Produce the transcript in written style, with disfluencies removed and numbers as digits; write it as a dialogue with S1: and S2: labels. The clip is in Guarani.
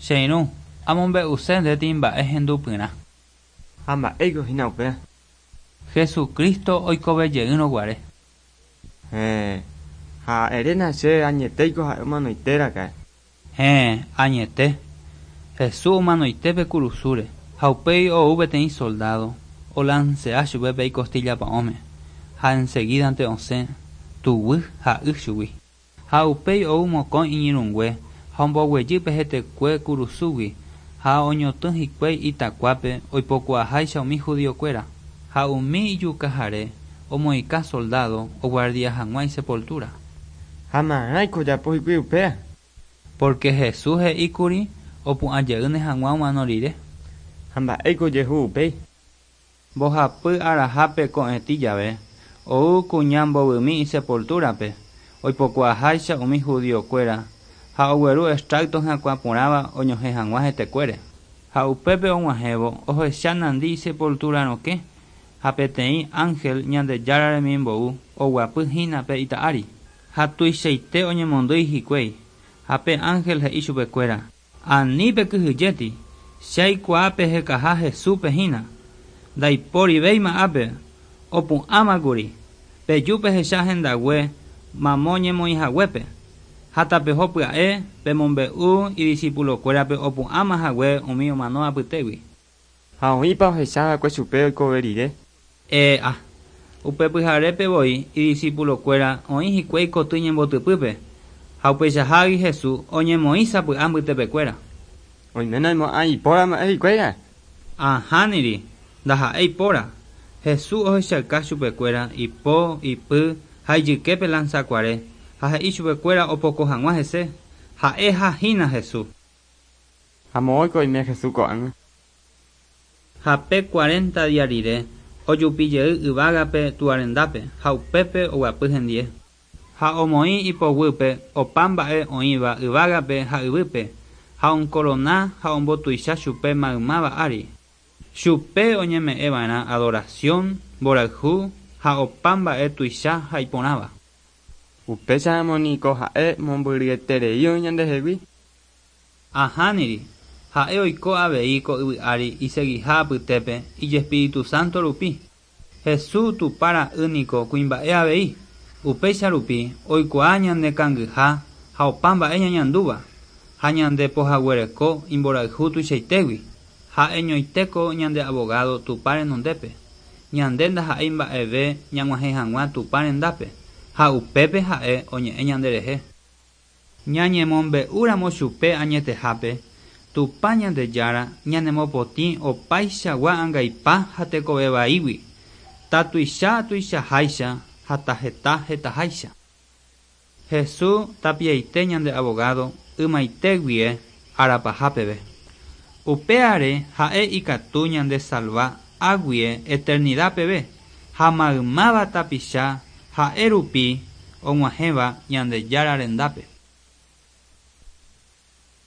S1: Che irũ, amombe'use ndéti mba'e hendupyrã.
S2: Ha mba'éiko hína upéva?
S1: Jesucristo oikovejeýrõ guare.
S2: Héẽ, ha eréna chéve añetéiko ha'e omanoite raka'e.
S1: Héẽ, añete. Jesús omanoite pe kurusúre, ha upéi ou peteĩ soldádo olansea chupe pe ikostílla pa'ũme, ha ensegídante osẽ tuguy ha y chugui. Ha upéi ou mokõi iñirũngue ha omboguejy pe hetekue kurusúgui ha oñotỹ hikuái itakuápe oipokuaaháicha umi judiokuéra. Ha umi ijukahare omoĩka soldádo oguardia hag̃ua isepultúra.
S2: Ha marãiko ojapo hikuái upéva?
S1: Pórke Jesús he'i kuri opu'ã jeýne hag̃ua omano rire.
S2: Ha mba'éiko ojehu upéi?
S1: Mbohapy arahápe ko'ẽtĩ jave, ou kuña mbovymi isepultúrape, oipokuaaháicha umi judiokuéra, ha ogueru extracto hyakuã porãva oñohẽ hag̃ua hetekuére. Ha upépe og̃uahẽvo ohecha nandi isepultura rokẽ, ha peteĩ ángel Ñandejára remimbou oguapy hína pe ita ári. Ha tuichaite oñemondýi hikuái, ha pe ángel he'i chupekuéra: Ani pekyhyjéti, che aikuaa pehekaha Jesúspe hína. Ndaiporivéima ápe, opu'ãmakuri. Peju pehecha hendague mamo ñemoĩhaguépe. Ha tapeho pya'e pemombe'u idiscipulokuérape opu'ãma hague umi omano apytégui.
S2: Ha oĩpa ohechava'ekue chupe oikove rire?
S1: E'a. Upe pyharépe voi idiscipulokuéra oĩ hikuái koty ñembotypýpe, ha upeichahágui Jesús oñemoĩ sapy'a mbytepekuéra.
S2: Oiméne oimo'ã ipóra mba'e hikuái ra'e?
S1: Ahániri, ndaha'éi póra. Jesús ohechauka chupekuéra ipo, ipy ha ijyképe lansakuare, ha he'i chupekuéra opoko hag̃ua hese, ha'eha hína Jesús.
S2: Ha moõiko oime Jesús ko'ág̃a?
S1: Ha pe cuarenta día rire, ojupi jey yvágape Túa rendápe, ha upépe oguapy hendie. Ha omoĩ ipoguýpe opa mba'e oĩva yvágape ha yvýpe, ha onkorona ha ombotuicha chupe maymáva ári. Chupe oñeme'ẽ va'erã adorasión, mborayhu ha opa mba'e tuicha ha iporãva.
S2: Upéicharamo niko ha'e mombyryeterei oĩ ñandehegui.
S1: Ahániri, ha'e oiko avei ko yvy ári isegiha apytépe ijespíritu sánto rupi. Jesús Tupã ra'y niko kuimba'e avei, upéicha rupi oikuaa ñane kangyha ha opa mba'e ñañandúva, ha ñande pohaguereko imborayhu tuichaitégui. Ha'eñoitéko ñande abogado Tupã renondépe. Ñande ndaha'éi mba'eve ñag̃uahẽ hag̃ua Tupã rendápe, ha upépe ha'e oñe'ẽ ñanderehe. Ñañemombe'úramo chupe añetehápe, Tupã Ñandejára ñanemopotĩ opaichagua angaipa ha tekove vaígui, tatuicha tuichaháicha ha taheta hetaháicha. Jesús tapiaite ñande abogado ymaite guie arapaha peve. Upéare ha'e ikatu ñandesalva águie eternidad peve ha maymáva tapicha ha'e rupi og̃uahẽva Ñandejára rendápe.